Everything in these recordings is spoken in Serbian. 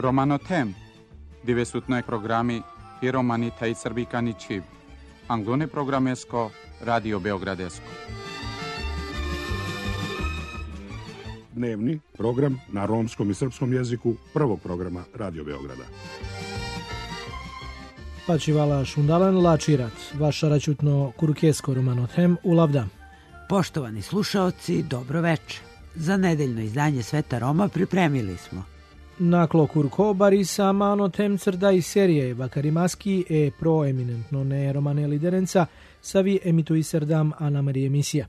Romanotem, divesutnoj programi i romani taj srbikani čib. Anglone programesko, Radio Beogradesko. Dnevni program na romskom i srpskom jeziku prvog programa Radio Beograda. Pačivala šundalan lačirat, vaša račutno kurkesko Romanotem u Lavda. Poštovani slušaoci, dobro veče. Za nedeljno izdanje Sveta Roma pripremili smo Naklo kurko barisa Manotem crda i serije Vakarimaski e proeminentno ne romane liderenca savi emitui serdam Ana Marije emisija.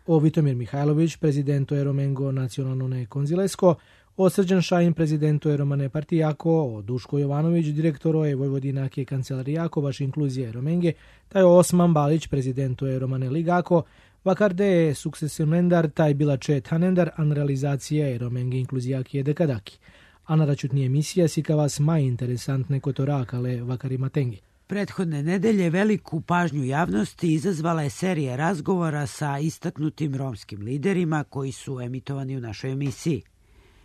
O Vitomir Mihajlović, prezidento je Romengo nacionalno ne konzilesko, o Srđan Šajin, prezidento je Romane partijako, o Duško Jovanović, direktoro je Vojvodinake kancelarijako, baš inkluzije Romenge, taj Osman Balić, prezidento je Romane ligako, vakarde je sukcesionendar, taj bila čet hanendar, an realizacija je Romenge inkluzijaki je dekadaki. A na račutni emisija sika vas maj interesantne kotorakale vakarimatengi. Prethodne nedelje veliku pažnju javnosti izazvala je serija razgovora sa istaknutim romskim liderima koji su emitovani u našoj emisiji.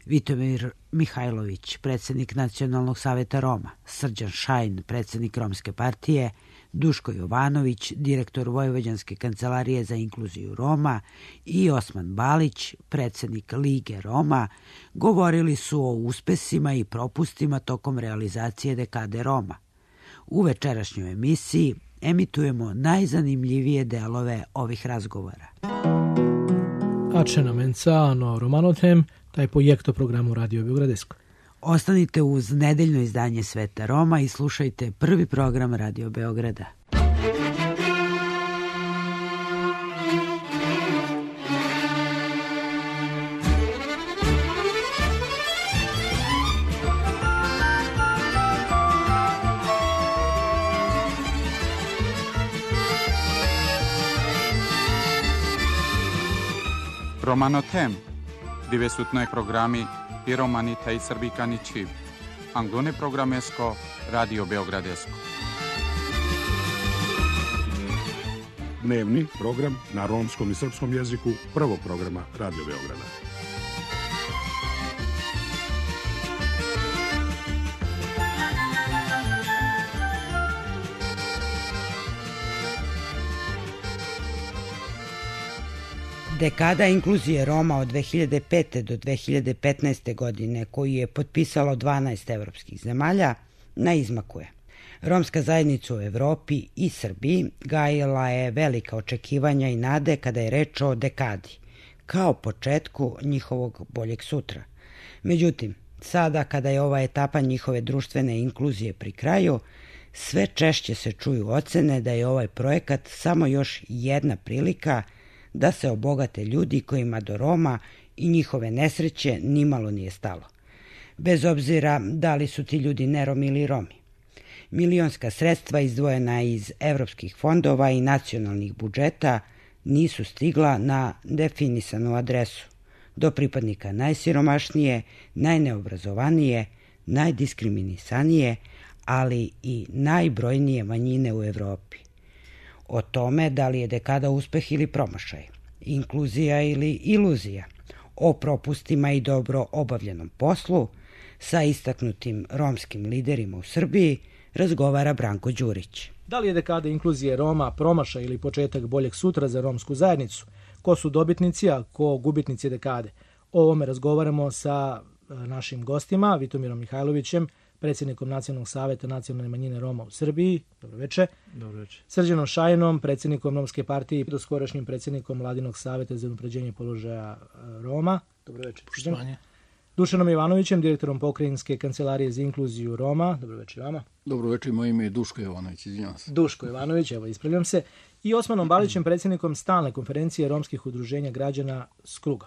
Vitomir Mihajlović, predsjednik Nacionalnog saveta Roma, Srđan Šajn, predsjednik Romske partije, Duško Jovanović, direktor Vojvođanske kancelarije za inkluziju Roma i Osman Balić, predsjednik Lige Roma, govorili su o uspesima i propustima tokom realizacije dekade Roma. U večerašnjoj emisiji emitujemo najzanimljivije delove ovih razgovora. Ačena mencano Romanotem, taj projekto programu Radio Beogradesko. Ostanite uz nedeljno izdanje Sveta Roma i slušajte prvi program Radio Beograda. Romanotem, divesutnoj programi i romani taj srbikani čib. Anglone programesko, Radio Beogradesko. Dnevni program na romskom i srpskom jeziku prvog programa Radio Beograda. Dekada inkluzije Roma od 2005. do 2015. godine, koju je potpisalo 12 evropskih zemalja, na izmaku je. Romska zajednica u Evropi i Srbiji gajila je velika očekivanja i nade kada je reč o dekadi, kao početku njihovog boljeg sutra. Međutim, sada kada je ova etapa njihove društvene inkluzije pri kraju, sve češće se čuju ocene da je ovaj projekat samo još jedna prilika da se obogate ljudi kojima do Roma i njihove nesreće nimalo nije stalo. Bez obzira da li su ti ljudi neromi ili Romi. Milionska sredstva izdvojena iz evropskih fondova i nacionalnih budžeta nisu stigla na definisanu adresu, do pripadnika najsiromašnije, najneobrazovanije, najdiskriminisanije, ali i najbrojnije manjine u Evropi. O tome da li je dekada uspeh ili promašaj, inkluzija ili iluzija, o propustima i dobro obavljenom poslu, sa istaknutim romskim liderima u Srbiji razgovara Branko Đurić. Da li je dekada inkluzije Roma promašaj ili početak boljeg sutra za romsku zajednicu? Ko su dobitnici, a ko gubitnici dekade? O ovome razgovaramo sa našim gostima, Vitomirom Mihajlovićem, predsjednikom Nacionalnog saveta nacionalne manjine Roma u Srbiji. Dobroveče. Dobroveče. Srđanom Šajnom, predsjednikom Romske partije i doskorašnjim predsjednikom Vladinog saveta za unapređenje položaja Roma. Dobroveče. Poštovanje. Dušanom Jovanovićem, direktorom Pokrajinske kancelarije za inkluziju Roma. Dobroveče vama. Dobroveče, moje ime je Duško Jovanović, izvinjavam se. Duško Jovanović, evo ispravljam se. I Osmanom Balićem, predsjednikom stalne konferencije romskih udruženja građana Skruga.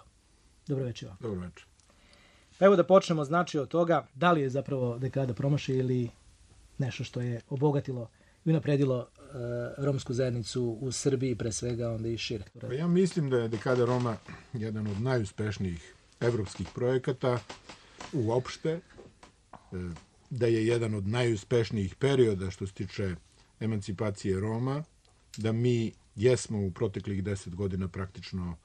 Dobroveče vam. Dobroveče. Pa evo da počnemo znači od toga da li je zapravo dekada promašaj ili nešto što je obogatilo i unapredilo romsku zajednicu u Srbiji pre svega, onda i šire. Pa ja mislim da je dekada Roma jedan od najuspešnijih evropskih projekata uopšte, da je jedan od najuspešnijih perioda što se tiče emancipacije Roma, da mi jesmo u proteklih 10 godina praktično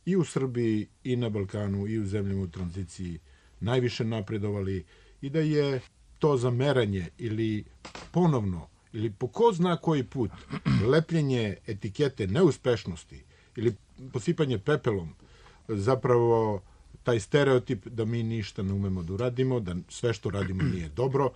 i u Srbiji i na Balkanu i u zemljama u tranziciji najviše napredovali i da je to zameranje ili ponovno ili po ko zna koji put lepljenje etikete neuspešnosti ili posipanje pepelom zapravo taj stereotip da mi ništa ne umemo da uradimo, da sve što radimo nije dobro.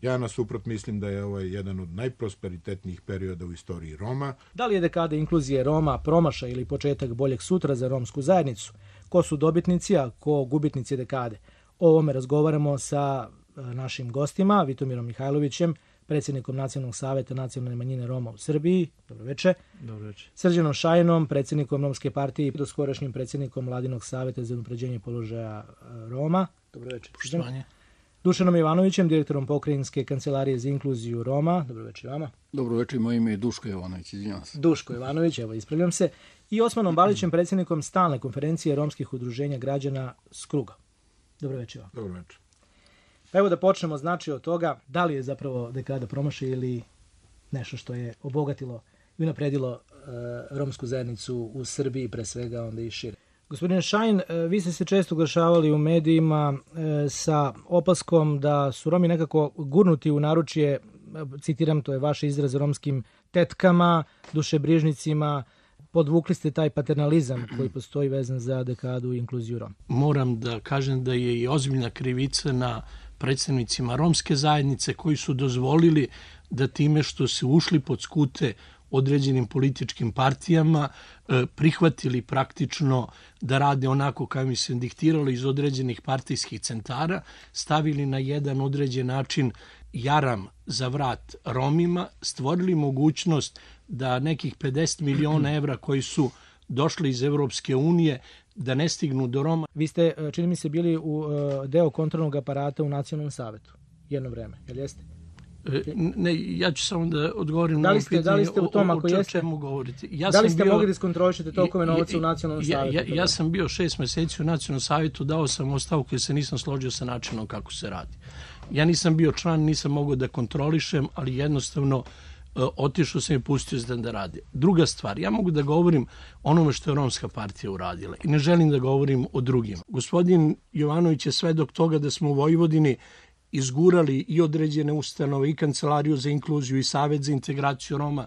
Ja nasuprot mislim da je ovaj jedan od najprosperitetnijih perioda u istoriji Roma. Da li je dekada inkluzije Roma promašaj ili početak boljeg sutra za romsku zajednicu? Ko su dobitnici, a ko gubitnici dekade? O ovome razgovaramo sa našim gostima, Vitomirom Mihajlovićem, predsjednikom Nacionalnog saveta nacionalne manjine Roma u Srbiji. Dobroveče. Dobroveče. Srđanom Šajinom, predsjednikom Romske partije i doskorašnjim predsjednikom Vladinog saveta za unapređenje položaja Roma. Dobroveče. Poštovanje. Dušanom Ivanovićem, direktorom Pokrajinske kancelarije za inkluziju Roma. Dobroveče vama. Dobroveče, moje ime je Duško Jovanović, izvinjavam se. Duško Ivanović, evo ispravljam se. I Osmanom Balićem, predsjednikom stalne konferencije romskih udruženja građana Skruga. Dobroveče vam. Dobroveče. Pa evo da počnemo znači od toga da li je zapravo dekada promašaj ili nešto što je obogatilo i unapredilo romsku zajednicu u Srbiji, pre svega onda i šire. Gospodine Šajn, vi ste se često oglašavali u medijima sa opaskom da su Romi nekako gurnuti u naručje, citiram, to je vaš izraz, romskim tetkama, dušebrižnicima, podvukli ste taj paternalizam koji postoji vezan za dekadu i inkluziju Roma. Moram da kažem da je i ozbiljna krivica na predstavnicima romske zajednice koji su dozvolili da time što se ušli pod skute određenim političkim partijama, prihvatili praktično da rade onako kao mi se diktiralo iz određenih partijskih centara, stavili na jedan određen način jaram za vrat Romima, stvorili mogućnost da nekih 50 miliona evra koji su došli iz Evropske unije da ne stignu do Roma. Vi ste, čini mi se, bili u deo kontrolnog aparata u Nacionalnom savetu jedno vreme, jel jeste? Ne, ja ću samo da odgovorim na ovo pitanje. Da li ste u tom, ako jeste? Čemu govorite? Da li ste mogli da iskontrolišete tolkove novaca u Nacionalnom savetu? Ja sam bio 6 meseci u Nacionalnom savetu, dao sam ostavku jer se nisam složio sa načinom kako se radi. Ja nisam bio član, nisam mogao da kontrolišem, ali jednostavno otišao sam i pustio se da radi. Druga stvar, ja mogu da govorim onome što je Romska partija uradila i ne želim da govorim o drugima. Gospodin Jovanović je svedok toga da smo u Vojvodini izgurali i određene ustanove i Kancelariju za inkluziju i Savet za integraciju Roma.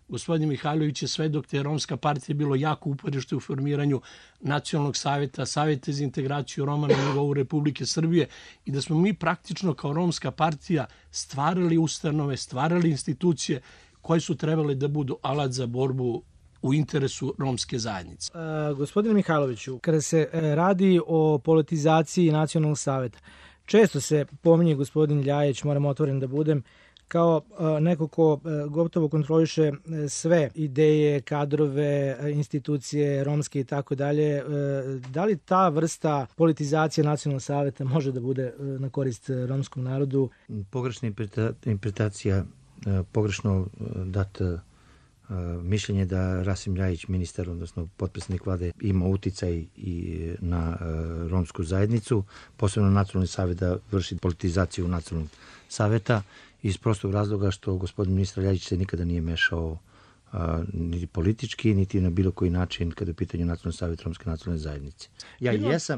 Gospodin Mihajlović je svedok da je Romska partija bilo jako uporište u formiranju Nacionalnog saveta, Saveta za integraciju Roma na nivou Republike Srbije i da smo mi praktično kao Romska partija stvarali ustanove, stvarali institucije koje su trebale da budu alat za borbu u interesu romske zajednice. Gospodine Mihajloviću, kada se radi o politizaciji Nacionalnog saveta, često se pominje gospodin Ljajić, moram otvoren da budem, kao neko ko gotovo kontroliše sve ideje, kadrove, institucije, romske i tako dalje. Da li ta vrsta politizacije Nacionalnog saveta može da bude na korist romskom narodu? Pogrešna interpretacija, pogrešno dat mišljenje da Rasim Ljajić, ministar, odnosno potpredsjednik vlade, ima uticaj i na romsku zajednicu, posebno Nacionalni savet da vrši politizaciju Nacionalnog saveta, iz prostog razloga što gospodin ministar Ljajić se nikada nije mešao niti politički, niti na bilo koji način kada je u pitanju Nacionalni savjet romske nacionalne zajednice.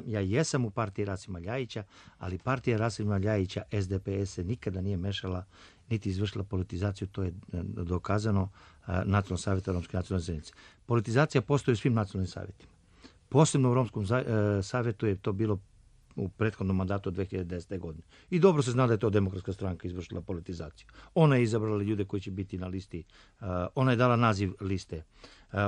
Ja jesam u partiji Rasima Ljajića, ali partija Rasima Ljajića, SDPS, se nikada nije mešala niti izvršila politizaciju, to je dokazano Nacionalnog savjeta romske nacionalne zajednice. Politizacija postoji u svim nacionalnim savjetima. Posebno u Romskom savjetu je to bilo u prethodnom mandatu od 2010. godine. I dobro se zna da je to Demokratska stranka izvršila politizaciju. Ona je izabrala ljude koji će biti na listi, ona je dala naziv liste,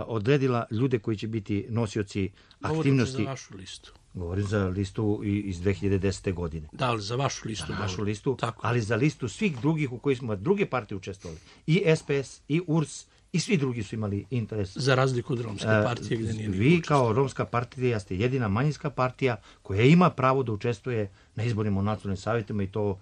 odredila ljude koji će biti nosioci aktivnosti. Govorite za vašu listu. Govorim za listu iz 2010. godine. Da, ali za vašu listu. Za našu listu, tako. Ali za listu svih drugih u kojoj smo druge partije učestvovali. I SPS, i URS, i svi drugi su imali interes. Za razliku od Romske partije gde nije vi kao Romska partija ste jedina manjinska partija koja ima pravo da učestvuje na izborima u nacionalnim savjetima i to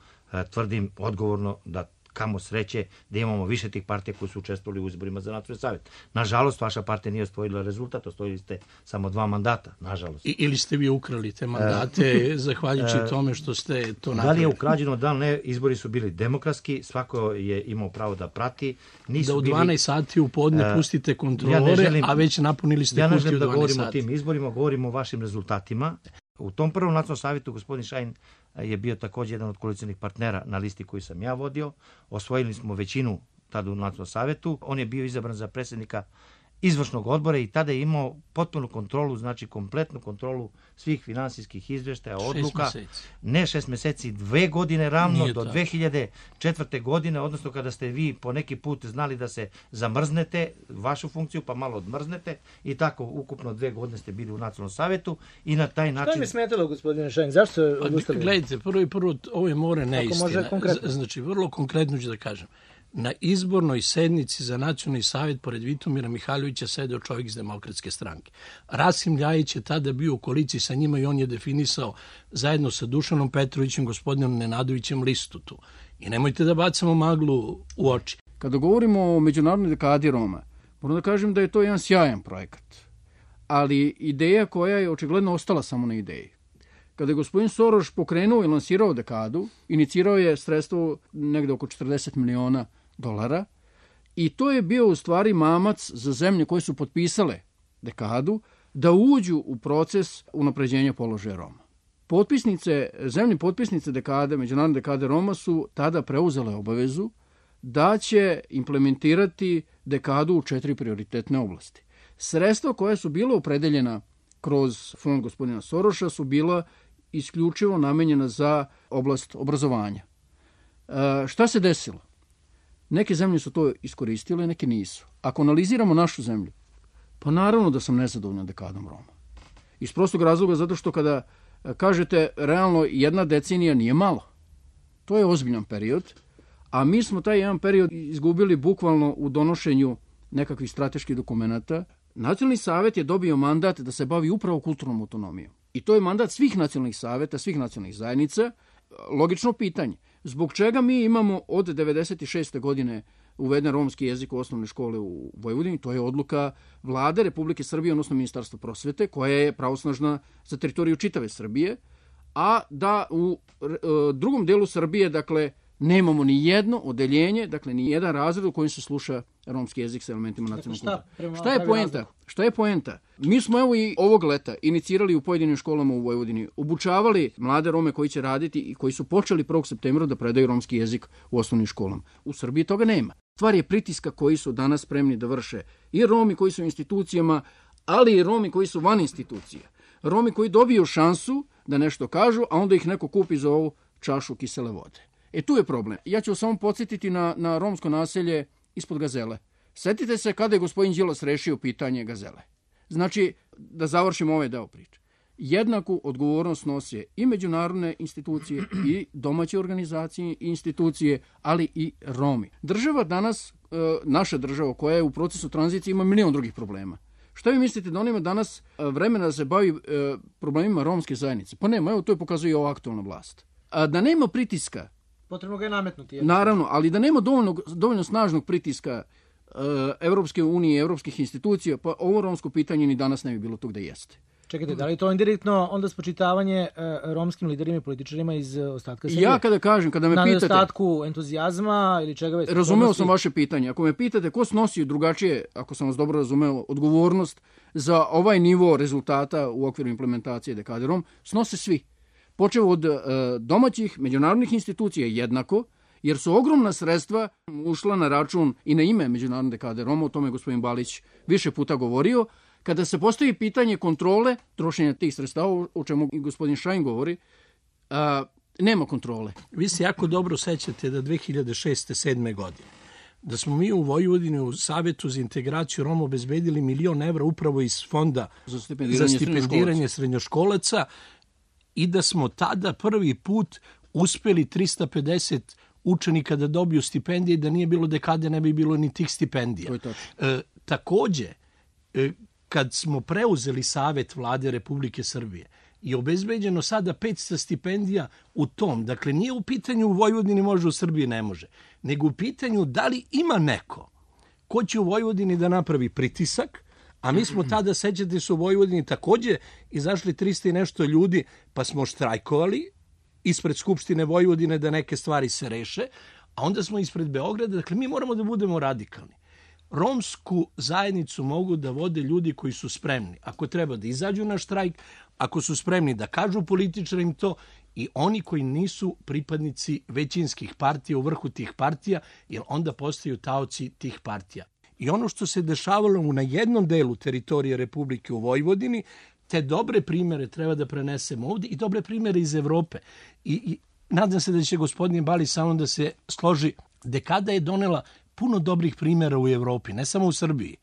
tvrdim odgovorno da kamo sreće da imamo više tih partija koji su učestvovali u izborima za nacionalni savjet. Nažalost, vaša partija nije osvojila rezultat, osvojili ste samo 2 mandata, nažalost. Ili ste vi ukrali te mandate zahvaljujući tome što ste to napravili? Da li je ukrađeno, da li ne, izbori su bili demokratski, svako je imao pravo da prati. Da u 12 sati u podne pustite kontrolore, a već napunili ste kutiju u 12 sati. Ja ne želim da govorimo o tim izborima, govorimo o vašim rezultatima. U tom prvom nacionalnom savjetu gospodin Šajn je bio također jedan od koalicionih partnera na listi koju sam ja vodio. Osvojili smo većinu tada u nacionalnom savjetu. On je bio izabran za predsjednika izvršnog odbora i tada je imao potpunu kontrolu, znači kompletnu kontrolu svih finansijskih izvještaja, odluka. 6 mjeseci. Ne 6 mjeseci, 2 godine ravno Nije do tako. 2004. godine, odnosno kada ste vi po neki put znali da se zamrznete vašu funkciju, pa malo odmrznete i tako ukupno 2 godine ste bili u nacionalnom savjetu i na taj način... Što mi je smetalo, gospodine Šajn? Zašto ste odustali? Gledajte, prvo, ovo je more neistina. može konkretno? Znači, vrlo konkretno ću da kažem. Na izbornoj sednici za nacionalni savjet pored Vitomira Mihajlovića sedeo čovjek iz Demokratske stranke. Rasim Ljajić je tada bio u koaliciji sa njima i on je definisao zajedno sa Dušanom Petrovićem, gospodinom Nenadovićem listu tu. I nemojte da bacamo maglu u oči. Kada govorimo o međunarodnoj dekadi Roma, moram da kažem da je to jedan sjajan projekat. Ali ideja koja je očigledno ostala samo na ideji. Kada je gospodin Soroš pokrenuo i lansirao dekadu, inicirao je sredstvo negde oko $40 miliona i to je bio u stvari mamac za zemlje koje su potpisale dekadu da uđu u proces unapređenja položaja Roma. Zemlje potpisnice dekade, međunarodne dekade Roma su tada preuzele obavezu da će implementirati dekadu u 4 prioritetne oblasti. Sredstva koja su bila opredeljena kroz fond gospodina Soroša su bila isključivo namenjena za oblast obrazovanja. Šta se desilo? Neke zemlje su to iskoristile, neke nisu. Ako analiziramo našu zemlju, pa naravno da sam nezadovoljan dekadom Roma. Iz prostog razloga zato što kada kažete realno 1 decenija nije malo. To je ozbiljan period, a mi smo taj jedan period izgubili bukvalno u donošenju nekakvih strateških dokumenata. Nacionalni savjet je dobio mandat da se bavi upravo kulturnom autonomijom. I to je mandat svih nacionalnih savjeta, svih nacionalnih zajednica. Logično pitanje, zbog čega mi imamo od 1996. godine uveden romski jezik u osnovne škole u Vojvodini? To je odluka Vlade Republike Srbije, odnosno Ministarstva prosvete, koja je pravosnažna za teritoriju čitave Srbije, a da u drugom delu Srbije, dakle, nemamo ni jedno odeljenje, dakle, ni jedan razred u kojem se sluša romski jezik sa elementima nacionalnog kultura. Šta je poenta? Mi smo evo i ovog leta inicirali u pojedinim školama u Vojvodini, obučavali mlade Rome koji će raditi i koji su počeli 1. septembra da predaju romski jezik u osnovnim školama. U Srbiji toga nema. Stvar je pritiska koji su danas spremni da vrše i Romi koji su u institucijama, ali i Romi koji su van institucija. Romi koji dobiju šansu da nešto kažu, a onda ih neko kupi za ovu čašu kisele vode. Tu je problem. Ja ću samo podsjetiti na romsko naselje ispod Gazele. Setite se kada je gospodin Đilas rešio pitanje Gazele. Znači, da završimo ovaj deo priče. Jednaku odgovornost nose i međunarodne institucije i domaće organizacije i institucije, ali i Romi. Država danas, naša država koja je u procesu tranzicije, ima milion drugih problema. Šta vi mislite da on ima danas vremena da se bavi problemima romske zajednice? Pa nema, evo to je pokazuje i ova aktualna vlast. Da nema pritiska, potrebno ga je nametnuti. Naravno, ali da nema dovoljno snažnog pritiska Evropske unije i evropskih institucija, pa ovo romsko pitanje ni danas ne bi bilo tu gde jeste. Čekajte, da li to indirektno onda spočitavanje romskim liderima i političarima iz ostatka Srbije? Ja kada me na pitate... nedostatku entuzijazma ili čega već? Razumeo sam vaše pitanje. Ako me pitate ko snosi drugačije, ako sam vas dobro razumeo, odgovornost za ovaj nivo rezultata u okviru implementacije dekade Rom, snose svi. Počeo od domaćih međunarodnih institucija jednako, jer su ogromna sredstva ušla na račun i na ime međunarodne dekade Roma, o tome je gospodin Balić više puta govorio. Kada se postavi pitanje kontrole trošenja tih sredstava, o čemu i gospodin Šajn govori, nema kontrole. Vi se jako dobro sećate da 2006-2007. godine da smo mi u Vojvodini u Savjetu za integraciju Roma obezbedili €1.000.000 upravo iz fonda za stipendiranje srednjoškolaca i da smo tada prvi put uspeli 350 učenika da dobiju stipendije i da nije bilo dekade ne bi bilo ni tih stipendija. Takođe, kad smo preuzeli Savet Vlade Republike Srbije i obezbeđeno sada 500 stipendija u tom, dakle nije u pitanju u Vojvodini može, u Srbiji ne može, nego u pitanju da li ima neko ko će u Vojvodini da napravi pritisak, a mi smo tada, sećate se, u Vojvodini takođe izašli 300 i nešto ljudi, pa smo štrajkovali ispred Skupštine Vojvodine da neke stvari se reše, a onda smo ispred Beograda, dakle mi moramo da budemo radikalni. romsku zajednicu mogu da vode ljudi koji su spremni. Ako treba da izađu na štrajk, ako su spremni da kažu političarima to, i oni koji nisu pripadnici većinskih partija u vrhu tih partija, jer onda postaju taoci tih partija. I ono što se dešavalo na jednom delu teritorije Republike u Vojvodini, te dobre primere treba da prenesemo ovdje i dobre primere iz Evrope. I nadam se da će gospodin Bali samo da se složi. Dekada je donela puno dobrih primjera u Evropi, ne samo u Srbiji.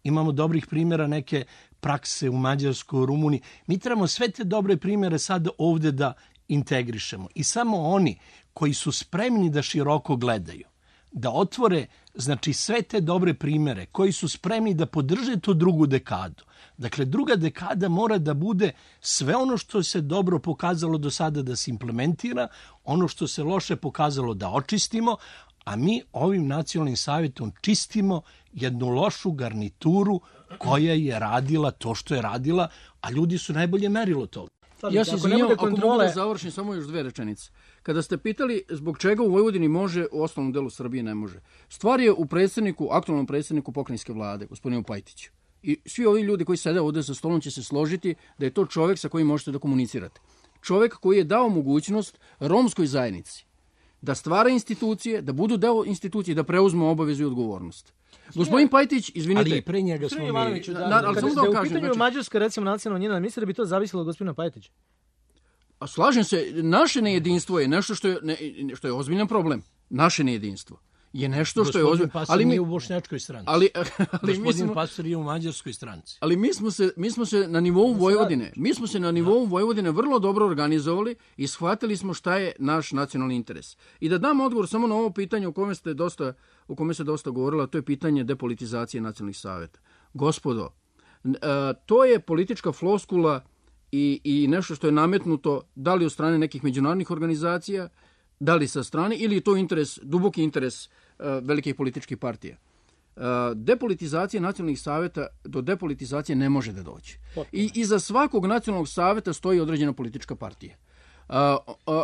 Imamo dobrih primjera, neke prakse u Mađarskoj, u Rumuniji. Mi trebamo sve te dobre primjere sada ovdje da integrišemo. I samo oni koji su spremni da široko gledaju, da otvore, znači, sve te dobre primjere, koji su spremni da podrže tu drugu dekadu. Dakle, druga dekada mora da bude sve ono što se dobro pokazalo do sada da se implementira, ono što se loše pokazalo da očistimo, a mi ovim nacionalnim savjetom čistimo jednu lošu garnituru koja je radila to što je radila, a ljudi su najbolje merilo toga. Ja se izvinjam, ako mogu da završim samo još 2 rečenice. Kada ste pitali zbog čega u Vojvodini može, u osnovnom delu Srbije ne može. Stvar je u aktualnom predsjedniku pokrajinske vlade, gospodinu Pajtiću. I svi ovi ljudi koji sede ovdje za stolom će se složiti da je to čovjek sa kojim možete da komunicirate. Čovjek koji je dao mogućnost romskoj zajednici da stvara institucije, da budu deo institucije, da preuzmu obavezu i odgovornost. Gospodin Pajtić, izvinite. Ali i pre njega smo mi... ali samo da u pitanju Mađarska, recimo, nacionalna njena, misle da bi to zavisilo od gospodina Pajtića? A slažem se, naše nejedinstvo je nešto što je ozbiljan problem. Naše nejedinstvo je nešto što je ozbiljno. Gospodin Pastor nije u bošnjačkoj stranci. Gospodin Pastor je u mađarskoj stranci. Ali mi smo se na nivou Vojvodine, vrlo dobro organizovali i shvatili smo šta je naš nacionalni interes. I da dam odgovor samo na ovo pitanje o kome se dosta govorilo, to je pitanje depolitizacije nacionalnih savjeta. Gospodo, to je politička floskula i nešto što je nametnuto da li od strane nekih međunarodnih organizacija, da li sa strane, ili je to duboki interes velikih političkih partija. Depolitizacija nacionalnih savjeta, do depolitizacije ne može da doći. I iza svakog nacionalnog savjeta stoji određena politička partija.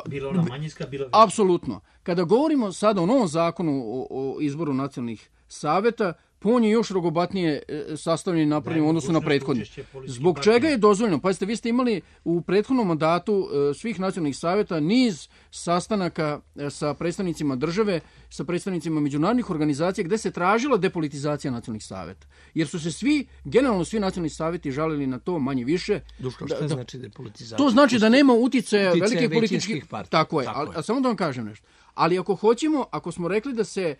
Bilo ona manjinska, bilo... Apsolutno. Kada govorimo sada o novom zakonu o izboru nacionalnih savjeta, on je još rogobatnije sastavljen i napravljen u odnosu na prethodni. Zbog čega je dozvoljeno? Pazite, vi ste imali u prethodnom mandatu svih nacionalnih savjeta niz sastanaka sa predstavnicima države, sa predstavnicima međunarodnih organizacija gde se tražila depolitizacija nacionalnih savjeta. Jer su se generalno svi nacionalni savjeti žalili na to manje više. Duško, šta znači depolitizacija? To znači da nema uticaja velikih političkih partija. Tako je. A samo da vam kažem nešto. Ali ako smo rekli da se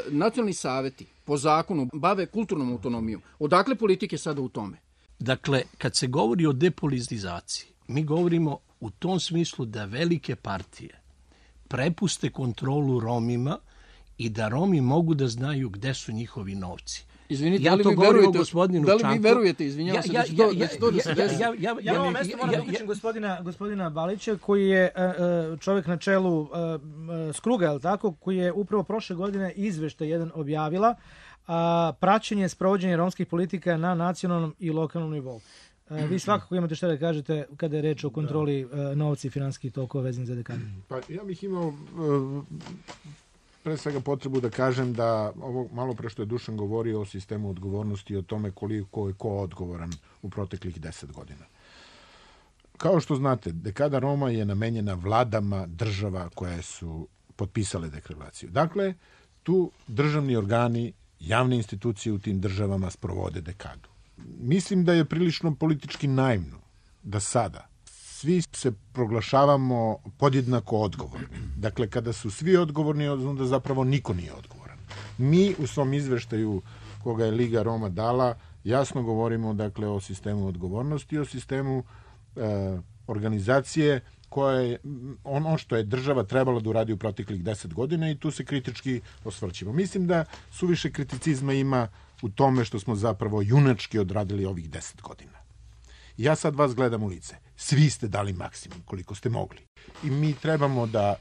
nacionalni savjeti po zakonu bave kulturnom autonomijom, odakle politike sada u tome? Dakle, kad se govori o depolitizaciji, mi govorimo u tom smislu da velike partije prepuste kontrolu Romima i da Romi mogu da znaju gde su njihovi novci. Izvinite, da li vi verujete, izvinjavam se, da će to da se desi? Ja na ovom mjestu moram da uključim gospodina Balića, koji je čovjek na čelu Skruga, je li tako, koji je upravo prošle godine izveštaj jedan objavila, praćenje sprovođenja romskih politika na nacionalnom i lokalnom nivou. Vi svakako imate što da kažete kada je reč o kontroli novca i finansijskih tokova vezanih za dekadu. Pa ja bih imao pre svega potrebu da kažem da ovo malo pre što je Dušan govorio o sistemu odgovornosti i o tome koliko je ko odgovoran u proteklih 10 godina. Kao što znate, dekada Roma je namenjena vladama država koje su potpisale deklaraciju. Dakle, tu državni organi, javne institucije u tim državama sprovode dekadu. Mislim da je prilično politički naivno da sada svi se proglašavamo podjednako odgovorni. Dakle, kada su svi odgovorni, onda zapravo niko nije odgovoran. Mi u svom izveštaju koga je Liga Roma dala, jasno govorimo dakle o sistemu odgovornosti, o sistemu organizacije koja je ono što je država trebala da uradi u proteklih 10 godina i tu se kritički osvrćemo. Mislim da suviše kriticizma ima u tome što smo zapravo junački odradili ovih 10 godina. Ja sad vas gledam u lice. Svi ste dali maksimum koliko ste mogli. I mi trebamo da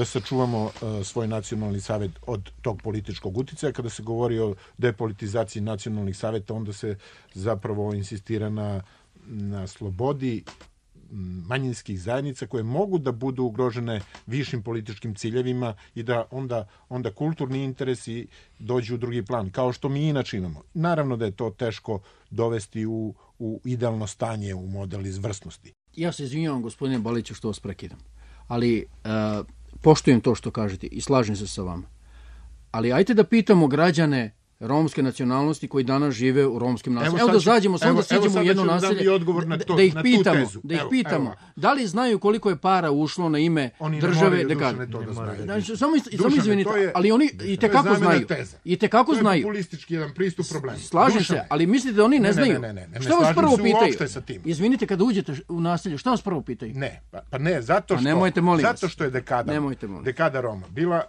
sačuvamo svoj nacionalni savjet od tog političkog uticaja. Kada se govori o depolitizaciji nacionalnih savjeta, onda se zapravo insistira na slobodi manjinskih zajednica koje mogu da budu ugrožene višim političkim ciljevima i da onda kulturni interesi dođu u drugi plan, kao što mi inače imamo. Naravno da je to teško dovesti u idealno stanje, u model izvrsnosti. Ja se izvinjavam, gospodine Baliću, što vas prekidam, ali poštujem to što kažete i slažem se sa vama. Ali ajte da pitamo građane romske nacionalnosti koji danas žive u romskim naseljima. Evo da zađemo, samo da siđemo u jedno naselje, da ih pitamo, da li znaju koliko je para ušlo na ime države dekade. Samo izvinite, ali oni i tekako znaju. I tekako znaju. To je populistički jedan pristup problemu. Slažem se, ali mislite da oni ne znaju? Šta vas prvo pitaju? Izvinite, kada uđete u naselje, šta vas prvo pitaju? Ne, pa ne, zato što je dekada Roma bila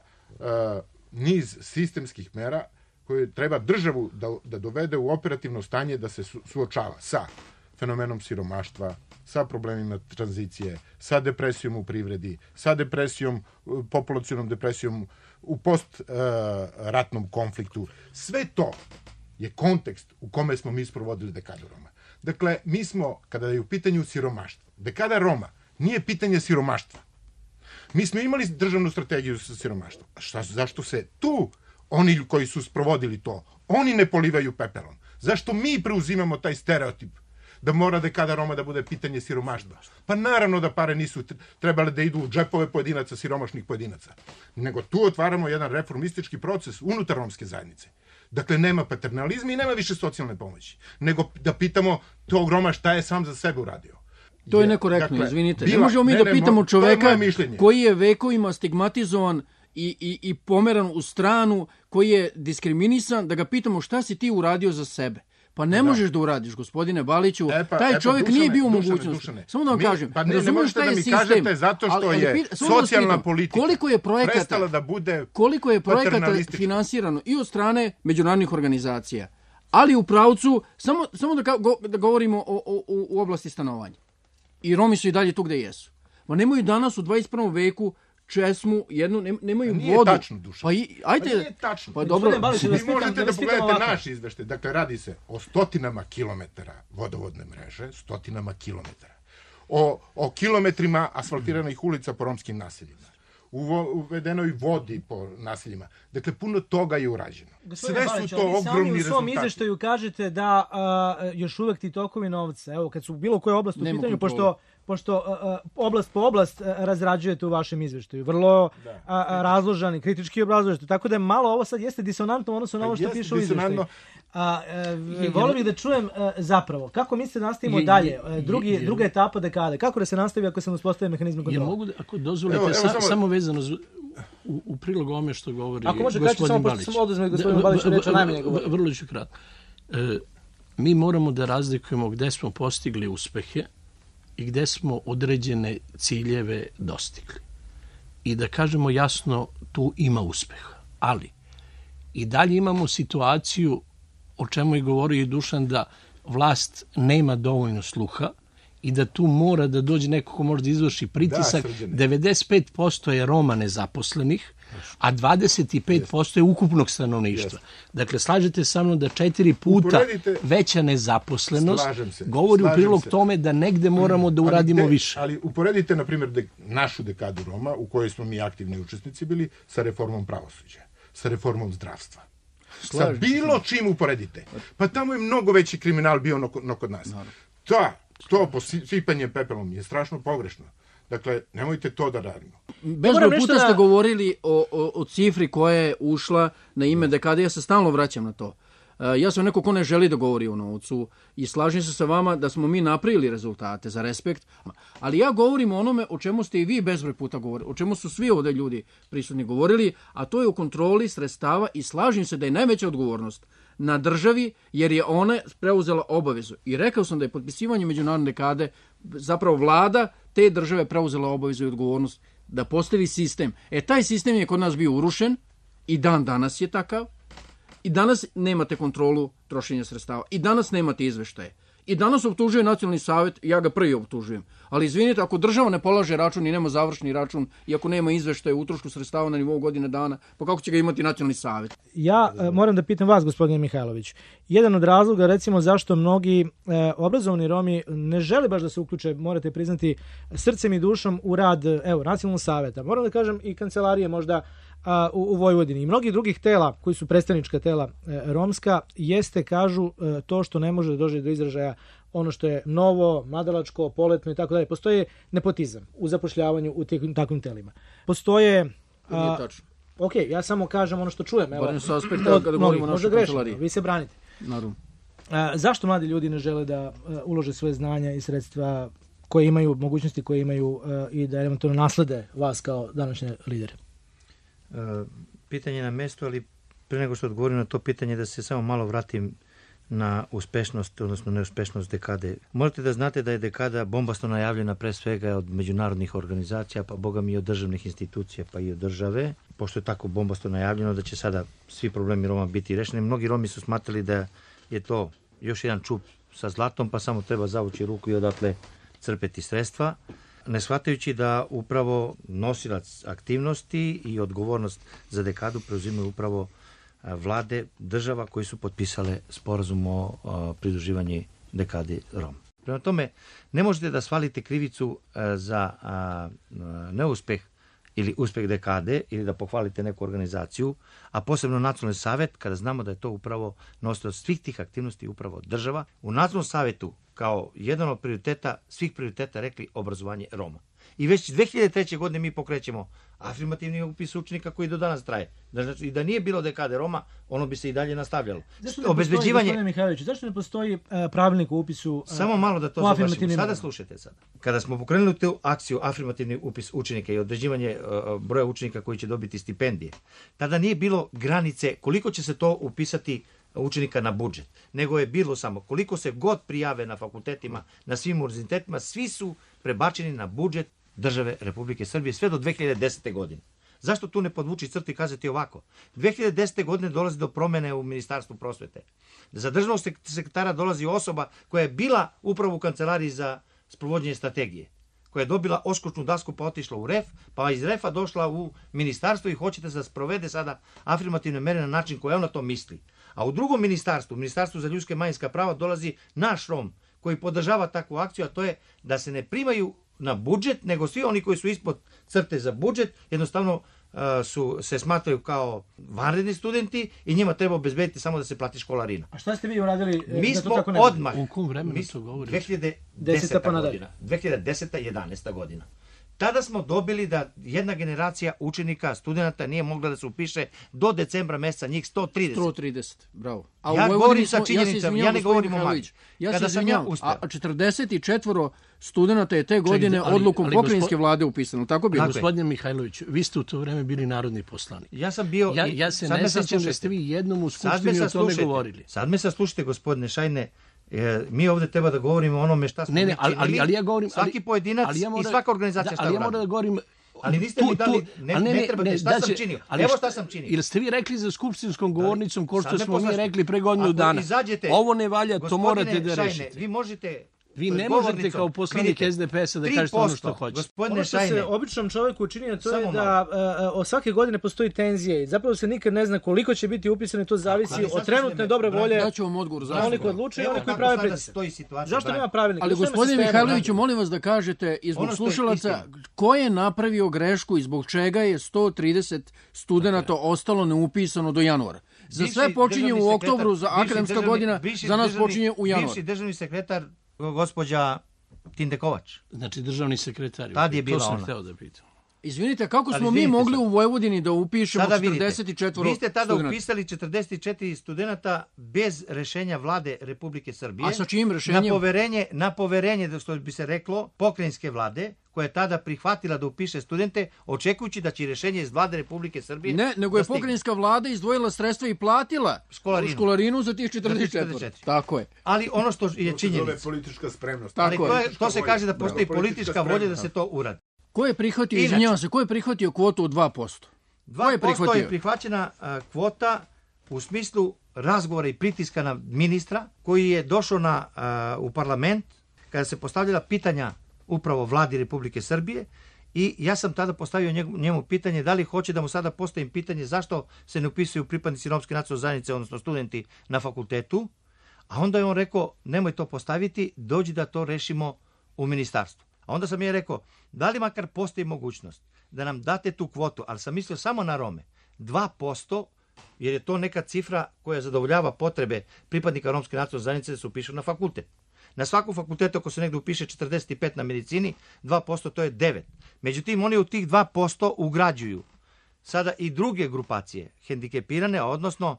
niz sistemskih mera koje treba državu da dovede u operativno stanje da se suočava sa fenomenom siromaštva, sa problemima tranzicije, sa depresijom u privredi, sa depresijom, populacionom depresijom u post-ratnom konfliktu. Sve to je kontekst u kome smo mi sprovodili dekadu Roma. Dakle, mi smo, kada je u pitanju siromaštva, dekada Roma nije pitanje siromaštva. Mi smo imali državnu strategiju sa siromaštvom. Zašto se tu oni koji su sprovodili to, oni ne polivaju pepelom? Zašto mi preuzimamo taj stereotip da mora dekada Roma da bude pitanje siromaštva? Pa naravno da pare nisu trebale da idu u džepove pojedinaca, siromašnih pojedinaca. Nego tu otvaramo jedan reformistički proces unutar romske zajednice. Dakle, nema paternalizma i nema više socijalne pomoći. Nego da pitamo tog Roma šta je sam za sebe uradio. To je nekorektno, izvinite. Ne možemo mi da pitamo čoveka koji je vekovima stigmatizovan i pomeran u stranu, koji je diskriminisan, da ga pitamo šta si ti uradio za sebe. Pa ne možeš da uradiš, gospodine Baliću. Taj čovjek nije bio u mogućnosti. Samo da vam kažem. Pa ne možete da mi kažete zato što je socijalna politika prestala da bude koliko je projekata finansirano i od strane međunarodnih organizacija, ali u pravcu, samo da govorimo u oblasti stanovanja. I Romi su i dalje tu gde jesu. Ma nemaju danas u 21. veku česmu, nemaju vodu. Nije tačno, Dušan. Nije tačno. Pa dobro. Vi možete da pogledate naš izveštaj. Dakle, radi se o stotinama kilometara vodovodne mreže, stotinama kilometara. O kilometrima asfaltiranih ulica po romskim naseljima. Uvedenoj vodi po naseljima. Dakle, puno toga je urađeno. Sve su to ogromni rezultati. U svom izveštaju kažete da još uvek ti tokovi novca, evo, kad su bilo koje oblasti u pitanju, pošto oblast po oblast razrađujete u vašem izveštaju. Vrlo razložani, kritički obrazložite. Tako da je malo ovo sad jeste disonantno odnosno na ovo što piše u izveštaju. Volim bih da čujem zapravo, kako mislite da nastavimo dalje, druga etapa dekade, kako da se nastavi ako se ne uspostavi mehanizme kontrole? Mogu, ako dozvolite, samo vezano u prilog ovome što govori gospodin Balić. Vrlo ću kratko. Mi moramo da razlikujemo gde smo postigli uspehe i gde smo određene ciljeve dostigli. I da kažemo jasno, tu ima uspeha. Ali i dalje imamo situaciju, o čemu je govorio i Dušan, da vlast nema dovoljno sluha i da tu mora da dođe neko ko može da izvrši pritisak. 95% je Roma nezaposlenih, a 25% je ukupnog stanovništva. Dakle, slažete sa mnom da 4 puta veća nezaposlenost govori u prilog tome da negde moramo da uradimo više. Ali uporedite, na primjer, našu dekadu Roma, u kojoj smo mi aktivni učesnici bili, sa reformom pravosuđa, sa reformom zdravstva. Sa bilo čim uporedite. Pa tamo je mnogo veći kriminal bio no kod nas. To posipanje pepelom je strašno pogrešno. Dakle, nemojte to da radimo. Bezbroj puta ste govorili o cifri koja je ušla na ime dekade. Ja se stalno vraćam na to. Ja sam neko ko ne želi da govori o novcu i slažem se sa vama da smo mi napravili rezultate za respekt, ali ja govorim o onome o čemu ste i vi bezbroj puta govorili, o čemu su svi ovdje ljudi prisutni govorili, a to je o kontroli sredstava i slažem se da je najveća odgovornost na državi jer je ona preuzela obavezu. I rekao sam da je potpisivanje međunarodne dekade zapravo vlada te države preuzela obavezu i odgovornost da postavi sistem. Taj sistem je kod nas bio urušen i dan danas je takav. I danas nemate kontrolu trošenja sredstava. I danas nemate izveštaje. I danas optužuje Nacionalni savjet, ja ga prvi optužujem. Ali izvinite, ako država ne polaže račun i nema završni račun i ako nema izveštaja o utrošku sredstava na nivou godine dana, pa kako će ga imati Nacionalni savjet? Ja moram da pitam vas, gospodine Mihajlović. Jedan od razloga, recimo, zašto mnogi obrazovani Romi ne žele baš da se uključe, morate priznati, srcem i dušom u rad Nacionalnog savjeta. Moram da kažem i kancelarije možda u Vojvodini i mnogih drugih tela koji su predstavnička tela romska, jeste, kažu, to što ne može da dođe do izražaja ono što je novo, mladalačko, poletno i tako dalje. Postoje nepotizam u zapošljavanju u takvim telima. Postoje... Nije tačno. Ok, ja samo kažem ono što čujem. Barem sa aspekta kada govorimo o našoj kancelariji. Vi se branite. Naravno. Zašto mladi ljudi ne žele da ulože svoje znanja i sredstva koje imaju, mogućnosti koje imaju i da eventualno naslede vas kao današnje lidere? Pitanje na mestu, ali pre nego što odgovorim na to pitanje, da se samo malo vratim na uspešnost, odnosno neuspešnost dekade. Morate da znate da je dekada bombasno najavljena pre svega od međunarodnih organizacija, pa boga mi i od državnih institucija, pa i od države. Pošto je tako bombasno najavljeno da će sada svi problemi Roma biti rešeni. Mnogi Romi su smatrali da je to još jedan čup sa zlatom, pa samo treba zavući ruku i odatle crpeti sredstva, ne shvatajući da upravo nosilac aktivnosti i odgovornost za dekadu preuzimaju upravo vlade država koji su potpisale sporazum o pridruživanju dekadi Roma. Prema tome, ne možete da svalite krivicu za neuspeh ili uspeh dekade ili da pohvalite neku organizaciju, a posebno Nacionalni savjet, kada znamo da je to upravo nosilac svih tih aktivnosti upravo država. U Nacionalnom savjetu kao jedan od prioriteta, svih prioriteta rekli obrazovanje Roma. I već 2003. godine mi pokrećemo afirmativni upis učenika koji do danas traje. Znači, i da nije bilo dekade Roma, ono bi se i dalje nastavljalo. Zašto ne postoji pravilnik o upisu? Samo malo da to završimo. Sada slušajte sad. Kada smo pokrenuli tu akciju afirmativni upis učenika i određivanje broja učenika koji će dobiti stipendije, tada nije bilo granice koliko će se to upisati učenika na budžet, nego je bilo samo koliko se god prijave na fakultetima, na svim univerzitetima, svi su prebačeni na budžet države Republike Srbije sve do 2010. godine. Zašto tu ne podvući crtu i kazati ovako? 2010. godine dolazi do promene u Ministarstvu prosvete. Za državnog sekretara dolazi osoba koja je bila upravo u kancelariji za sprovođenje strategije, koja je dobila oskočnu dasku pa otišla u REF, pa iz REF-a došla u ministarstvo i hoćete da sprovede sada afirmativne mere na način koji ona to misli. A u drugom ministarstvu, Ministarstvu za ljudske i manjinska prava, dolazi naš Rom koji podržava takvu akciju, a to je da se ne primaju na budžet, nego svi oni koji su ispod crte za budžet, jednostavno se smatraju kao vanredni studenti i njima treba obezbediti samo da se plati školarina. A šta ste vi uradili? Mi smo odmah, u kom vremenu to govoriš? 2010. godina, 2010-11. godina. Tada smo dobili da jedna generacija učenika, studenta nije mogla da se upiše do decembra meseca, njih 130. 130, bravo. Ja govorim sa činjenicama, ja ne govorim o magiji. Ja se izvinjam, a 44 studenta je te godine odlukom pokrajinske vlade upisano, tako bilo? Gospodine Mihajlović, vi ste u to vreme bili narodni poslanik. Ja sam bio... Ja se ne sećam da ste vi jednom u skupštini o tome govorili. Sad me saslušajte, gospodine Šajne, mi ovde treba da govorimo o onome šta smo činili, ali ja govorim, svaki pojedinac i svaka organizacija šta ali ja moram da govorim, ali niste mi dali, ne trebate, šta sam činio? Evo šta sam činio. Ili ste vi rekli za skupštinskom govornicom, ko što smo mi rekli pre godinu dana, ovo ne valja, to morate da rešite. Vi možete... Vi ne možete kao poslanik SDP-a da kažete ono što hoćete. Ono što se običnom čovjeku čini, to je da svake godine postoji tenzija i zapravo se nikad ne zna koliko će biti upisano, to zavisi od trenutne dobre volje. Daću vam odgovor zašto. Oni koji odlučuju i oni koji prave pritisak. Zašto nema pravilnika? Ali gospodine Mihajloviću, molim vas da kažete i zbog slušalaca ko je napravio grešku i zbog čega je 130 studenta ostalo neupisano do januara. Za sve počinje u oktobru, za akademska godina, za nas počinje u januaru. Bivši državni sekretar gospođa Tindekovač. Znači državni sekretar. Tad je bila to sam ona. hteo da pitam. Izvinite, kako smo mi mogli u Vojvodini da upišemo 44 studenta? Vi ste tada upisali 44 studenta bez rešenja vlade Republike Srbije. A sa čijim rešenjem? Na poverenje, da što bi se reklo, pokrajinske vlade, koja je tada prihvatila da upiše studente, očekujući da će rešenje iz vlade Republike Srbije... Ne, nego je pokrajinska vlada izdvojila sredstva i platila školarinu za tih 44. Tako je. Ali ono što je činjenica... To je politička spremnost. Ali to se kaže da postoji politička volja da se to uradi. Ko je prihvatio, izvinjavam se, ko je prihvatio kvotu od 2%? 2% je prihvaćena kvota u smislu razgovora i pritiska na ministra koji je došao u parlament kada se postavljala pitanja upravo vladi Republike Srbije i ja sam tada postavio njemu pitanje da li hoće da mu sada postavim pitanje zašto se ne upisuju pripadnici romske nacionalne zajednice, odnosno studenti na fakultetu, a onda je on rekao nemoj to postaviti, dođi da to rešimo u ministarstvu. A onda sam je rekao da li makar postoji mogućnost da nam date tu kvotu, ali sam mislio samo na Rome, 2%, jer je to neka cifra koja zadovoljava potrebe pripadnika romske nacionalne zajednice da se upišu na fakultet. Na svakom fakultetu ako se negde upiše 45 na medicini, 2% to je 9. Međutim, oni u tih 2% ugrađuju sada i druge grupacije hendikepirane, odnosno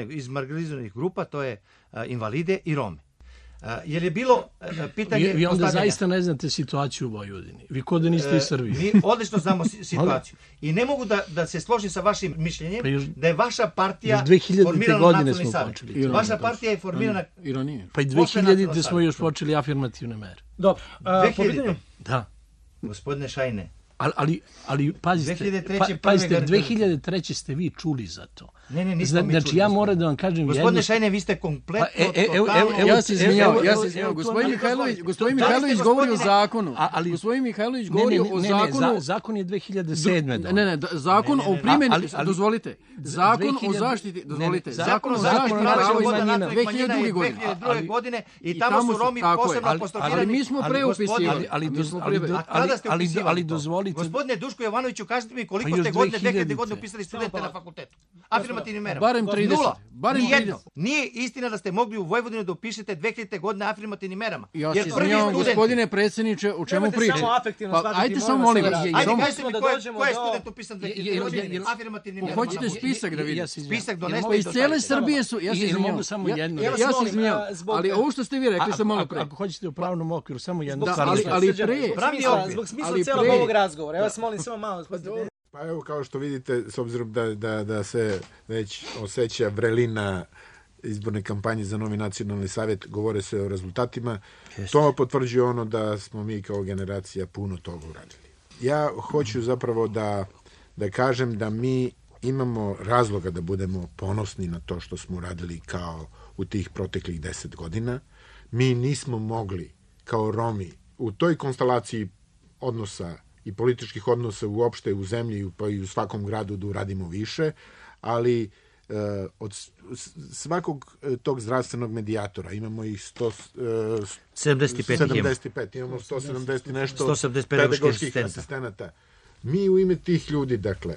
iz marginalizovanih grupa, to je invalide i Rome. Jer je bilo pitanje... Vi onda zaista ne znate situaciju u Vojvodini. Vi kod da niste iz Srbije. Mi odlično znamo situaciju. I ne mogu da se složim sa vašim mišljenjem da je vaša partija formirana nacionalni savjet. Vaša partija je formirana... Ironije. Pa i 2000-te smo još počeli afirmativne mere. Dobro. 2000-te? Da. Gospodine Šajne. Ali pazite, 2003. ste vi čuli za to. Ne, nismo mi čuli. Znači ja moram da vam kažem... Gospodine Šajne, vi ste kompletno... Ja se izvinjavam. Gospodin Mihajlović govori o zakonu. Gospodin Mihajlović govori o zakonu... Zakon je 2007. Ne, zakon o primjeni... Dozvolite. Zakon o zaštiti... Dozvolite. Zakon o zaštiti prava manjina 2002. godine i tamo su Romi posebno apostrofirani. Ali mi smo preupisivali. Ali dozvolite... Gospodine Duško Jovanoviću, kažete mi koliko ste godine 2000. godine upisali studente na fakultetu? Afirmativnim merama. Barem 30. Nula. Nijedno. Nije istina da ste mogli u Vojvodini da upišete 2000. godine afirmativnim merama. Ja se izvinjavam, gospodine predsjedniče, o čemu pričate? Ajde samo molim vas. Ajde kažete mi ko je student upisan 2000. godine afirmativnim merama? Hoćete spisak da vidite? Spisak doneste. Pa iz cijele Srbije su... Ja se izvinjavam. Ali ovo što ste vi rekli sam malo pre. Ako hoćete u pravnom okviru, samo jedno. Ali pre... Zbog smisla cijelog ovog razgovora. Ja vas molim samo malo. Pa evo, kao što vidite, s obzirom da se već osjeća vrelina izborne kampanje za novi nacionalni savjet, govore se o rezultatima, to potvrđuje ono da smo mi kao generacija puno toga uradili. Ja hoću zapravo da kažem da mi imamo razloga da budemo ponosni na to što smo uradili kao u tih proteklih 10 godina. Mi nismo mogli kao Romi u toj konstelaciji odnosa i političkih odnosa uopšte u zemlji pa i u svakom gradu da uradimo više, ali od svakog tog zdravstvenog medijatora imamo ih 75. Imamo 170 nešto pedagoških asistenata. Mi u ime tih ljudi, dakle,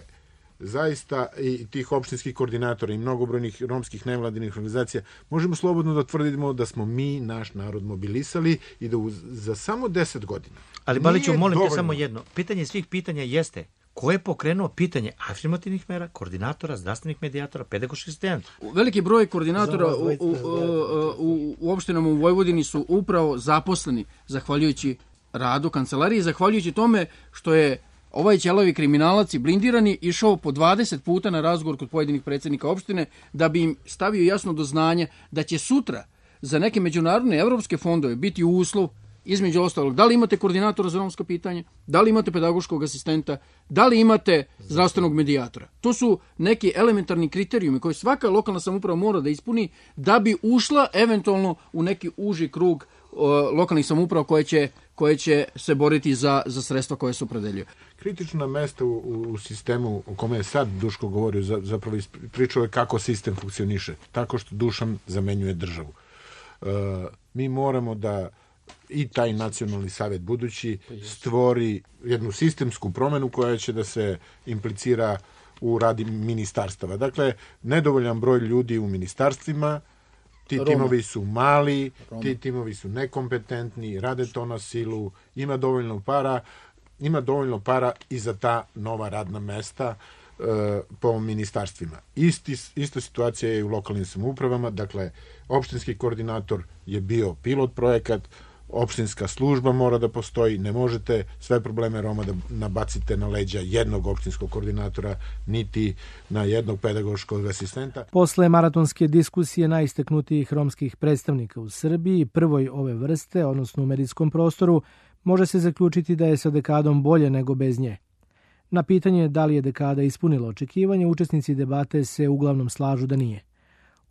zaista i tih opštinskih koordinatora i mnogobrojnih romskih nevladinih organizacija, možemo slobodno da tvrdimo da smo mi naš narod mobilisali i da za samo 10 godina. Ali Baliću, molim te samo jedno. Pitanje svih pitanja jeste ko je pokrenuo pitanje afirmativnih mera, koordinatora, zdravstvenih medijatora, pedagoških asistenata? Veliki broj koordinatora u opštinama u Vojvodini su upravo zaposleni zahvaljujući radu kancelarije, zahvaljujući tome što je ovaj ćelavi kriminalac i blindirani išao po 20 puta na razgovor kod pojedinih predsjednika opštine da bi im stavio jasno do znanja da će sutra za neke međunarodne evropske fondove biti uslov, između ostalog, da li imate koordinatora za romsko pitanje, da li imate pedagoškog asistenta, da li imate zdravstvenog medijatora. To su neki elementarni kriterijumi koje svaka lokalna samouprava mora da ispuni da bi ušla eventualno u neki uži krug lokalnih samouprava koje će se boriti za sredstva koje se opredeljuju. Kritična mesta u sistemu o kome je sad Duško govorio, zapravo pričao je kako sistem funkcioniše, tako što Dušan zamenjuje državu. Mi moramo da i taj nacionalni savjet budući stvori jednu sistemsku promenu koja će da se implicira u radi ministarstava. Dakle, nedovoljan broj ljudi u ministarstvima, ti timovi su mali, ti timovi su nekompetentni, rade to na silu, ima dovoljno para i za ta nova radna mesta po ministarstvima. Ista situacija je i u lokalnim samoupravama, dakle, opštinski koordinator je bio pilot projekat, opštinska služba mora da postoji, ne možete sve probleme Roma da nabacite na leđa jednog opštinskog koordinatora, niti na jednog pedagoškog asistenta. Posle maratonske diskusije najistaknutijih romskih predstavnika u Srbiji, prvoj ove vrste, odnosno u medijskom prostoru, može se zaključiti da je sa dekadom bolje nego bez nje. Na pitanje da li je dekada ispunila očekivanje, učesnici debate se uglavnom slažu da nije.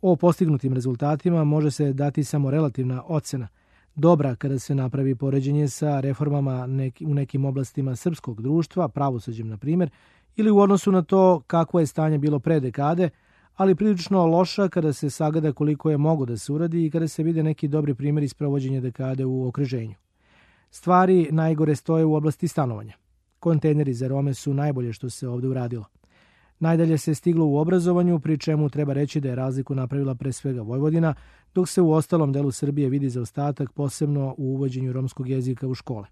O postignutim rezultatima može se dati samo relativna ocena, dobra kada se napravi poređenje sa reformama u nekim oblastima srpskog društva, pravosuđem na primjer, ili u odnosu na to kakvo je stanje bilo pre dekade, ali prilično loša kada se sagleda koliko je mogo da se uradi i kada se vide neki dobri primjeri sprovođenja dekade u okruženju. Stvari najgore stoje u oblasti stanovanja. Kontejneri za Rome su najbolje što se ovdje uradilo. Najdalje se stiglo u obrazovanju, pri čemu treba reći da je razliku napravila pre svega Vojvodina, dok se u ostalom delu Srbije vidi zaostatak, posebno u uvođenju romskog jezika u škole.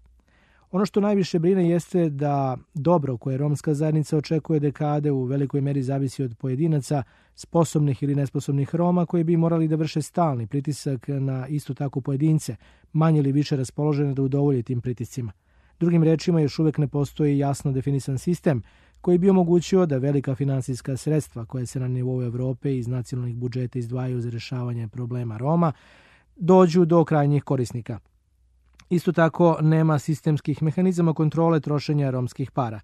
Ono što najviše brine jeste da dobro koje romska zajednica očekuje dekade u velikoj meri zavisi od pojedinaca, sposobnih ili nesposobnih Roma, koji bi morali da vrše stalni pritisak na isto tako pojedince, manje ili više raspoložene da udovolje tim pritiscima. Drugim rečima, još uvek ne postoji jasno definisan sistem koji bi omogućio da velika finansijska sredstva koje se na nivou Evrope iz nacionalnih budžeta izdvajaju za rješavanje problema Roma dođu do krajnjih korisnika. Isto tako, nema sistemskih mehanizama kontrole trošenja romskih para.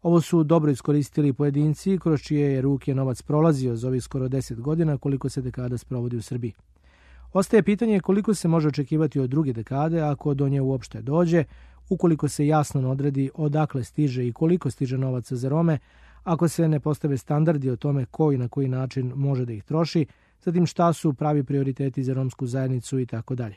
Ovo su dobro iskoristili pojedinci kroz čije je ruke novac prolazio za ovih skoro 10 godina koliko se dekada sprovodi u Srbiji. Ostaje pitanje koliko se može očekivati od druge dekade ako do nje uopšte dođe, ukoliko se jasno odredi odakle stiže i koliko stiže novaca za Rome, ako se ne postave standardi o tome ko i na koji način može da ih troši, zatim šta su pravi prioriteti za romsku zajednicu i tako dalje.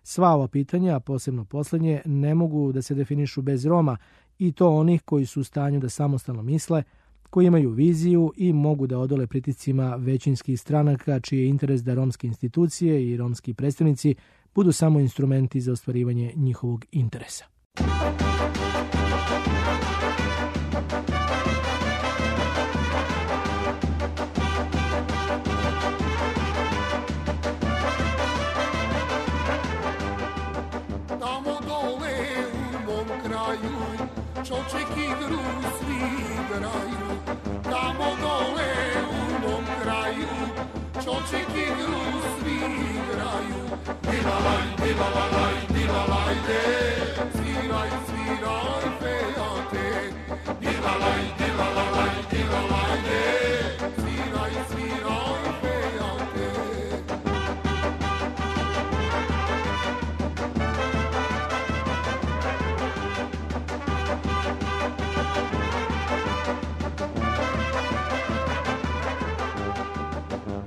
Sva ova pitanja, a posebno poslednje, ne mogu da se definišu bez Roma i to onih koji su u stanju da samostalno misle, koji imaju viziju i mogu da odole pritiscima većinskih stranaka čiji je interes da romske institucije i romski predstavnici budu samo instrumenti za ostvarivanje njihovog interesa. Tamo dole u mom kraju čoček igru svi igraju. Tamo dole u mom kraju čoček igru svi igraju. Dilalaj, dilalaj, dilalajde, sviraj, sviraj, fejate. Dilalaj, dilalaj, dilalajde, sviraj, sviraj, fejate.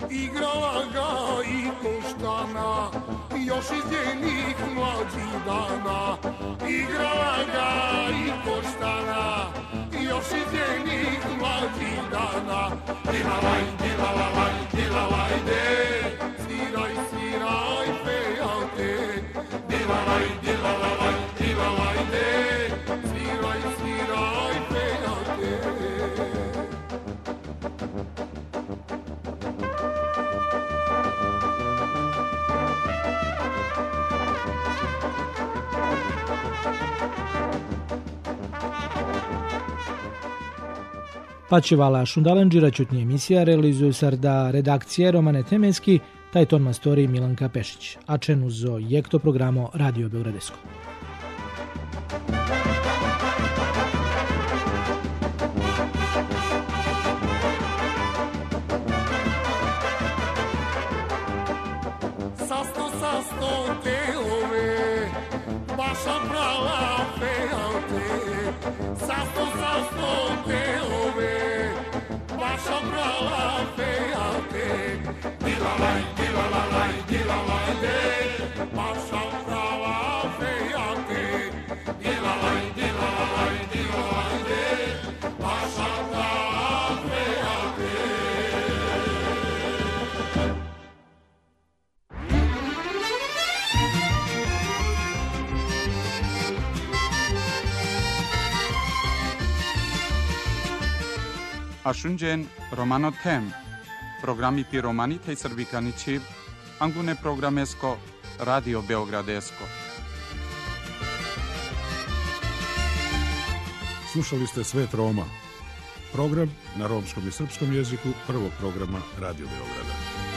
Igrala ga i Koštana, još iz njenih mlađih dana. Igrala ga i Koštana, još iz njenih mlađih dana. Dilalaj, dilalaj, dilalajde, sviraj, sviraj, fejate. Dilalaj, dilalaj, dilalajde, sviraj, sviraj, fejate. Pačivala Šundalanđira čutnje emisija realizuju sarda redakcije Romane Temeski, taj ton mastori Milanka Pešić, a čen uzo jekto programo Radio Beogradesko. Sasto telove, baša prava fejate. Sasto telove, baša prava fejate. Dilalaj, dilalaj, dilalajde, baša prava fejate. Dilalaj, dilalaj, dilalajde, baša prava fejate. Ashunjen Romano Tem, programi pi Romani tej Srbikani Čib, Angune programesko, Radio Beogradesko. Slušali ste Svet Roma, program na romskom i srpskom jeziku prvog programa Radio Beograda.